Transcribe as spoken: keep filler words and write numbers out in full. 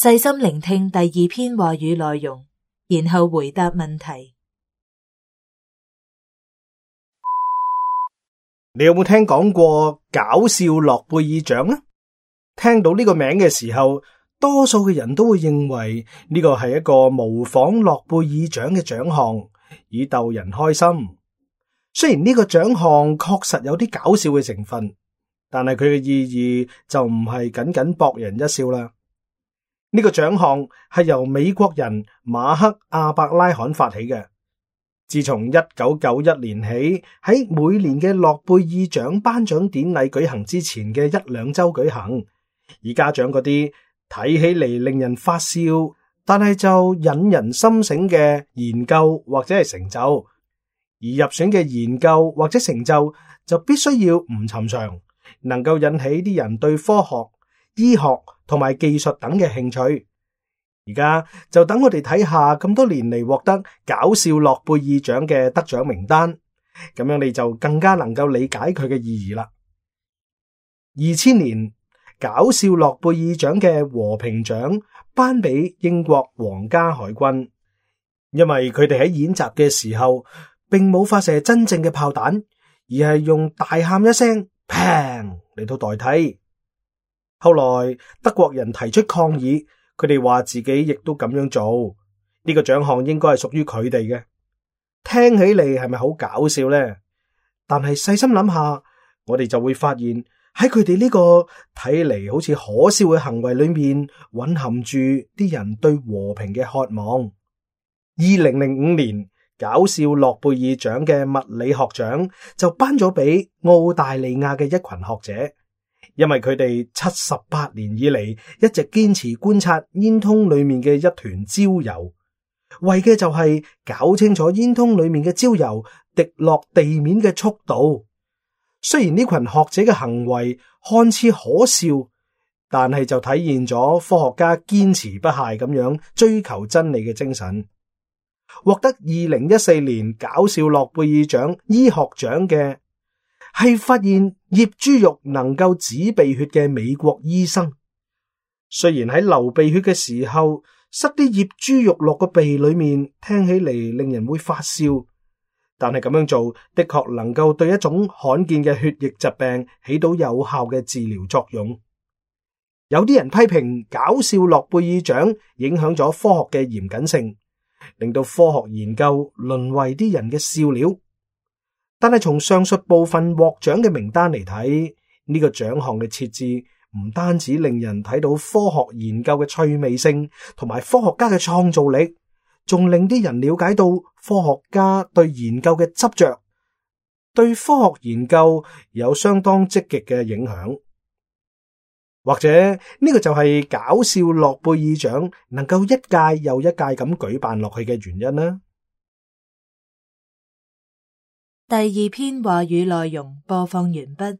細心聆聽第二篇話語內容，然後回答問題。你有冇聽講過搞笑諾貝爾獎呢？聽到呢個名嘅時候，多數嘅人都會認為呢個係一個模仿諾貝爾獎嘅獎項，以逗人開心。雖然呢個獎項確實有啲搞笑嘅成分，但係佢嘅意義就唔係僅僅博人一笑啦。呢個獎項係由美國人馬克亞伯拉罕發起嘅。自從一九九一年起，喺每年嘅諾貝爾獎頒獎典禮舉行之前嘅一兩周舉行，以嘉獎嗰啲睇起嚟令人發笑，但係就引人心醒嘅研究或者係成就。而入選嘅研究或者成就就必須要唔尋常，能夠引起啲人對科學、醫學同埋技術等嘅興趣。而家就等我哋睇下咁多年嚟獲得搞笑諾貝爾獎嘅得獎名單，咁樣你就更加能夠理解佢嘅意義啦。二千年搞笑諾貝爾獎嘅和平獎頒俾英國皇家海軍，因為佢哋喺演習嘅時候並冇發射真正嘅炮彈，而係用大喊一聲砰嚟到代替。後來德國人提出抗議，佢哋話自己亦都咁樣做，呢個獎項應該係屬於佢哋嘅。聽起嚟係咪好搞笑呢？但係細心諗下，我哋就會發現喺佢哋呢個睇嚟好似可笑嘅行為裏面，蘊含住啲人對和平嘅渴望。二零零五年搞笑諾貝爾獎嘅物理學獎就頒咗俾澳大利亞嘅一群學者。因為佢哋七十八年以嚟一直堅持觀察煙囪裏面嘅一團焦油，為嘅就係搞清楚煙囪裏面嘅焦油滴落地面嘅速度。雖然呢群學者嘅行為看似可笑，但係就體現咗科學家堅持不懈咁樣追求真理嘅精神。獲得二零一四年搞笑諾貝爾獎醫學獎嘅係發現醃豬肉能夠止鼻血嘅美國醫生。雖然喺流鼻血嘅時候塞啲醃豬肉落個鼻裏面，聽起嚟令人會發笑，但係咁樣做的確能夠對一種罕見嘅血液疾病起到有效嘅治療作用。有啲人批評搞笑諾貝爾獎影響咗科學嘅嚴謹性，令到科學研究淪為啲人嘅笑料。但係從上述部分獲獎嘅名單嚟睇，呢個獎項嘅設置唔單止令人睇到科學研究嘅趣味性同埋科學家嘅創造力，仲令啲人了解到科學家對研究嘅執着，對科學研究有相當積極嘅影響。或者呢個就係搞笑諾貝爾獎能夠一屆又一屆咁舉辦落去嘅原因啦。第二篇話語內容播放完畢。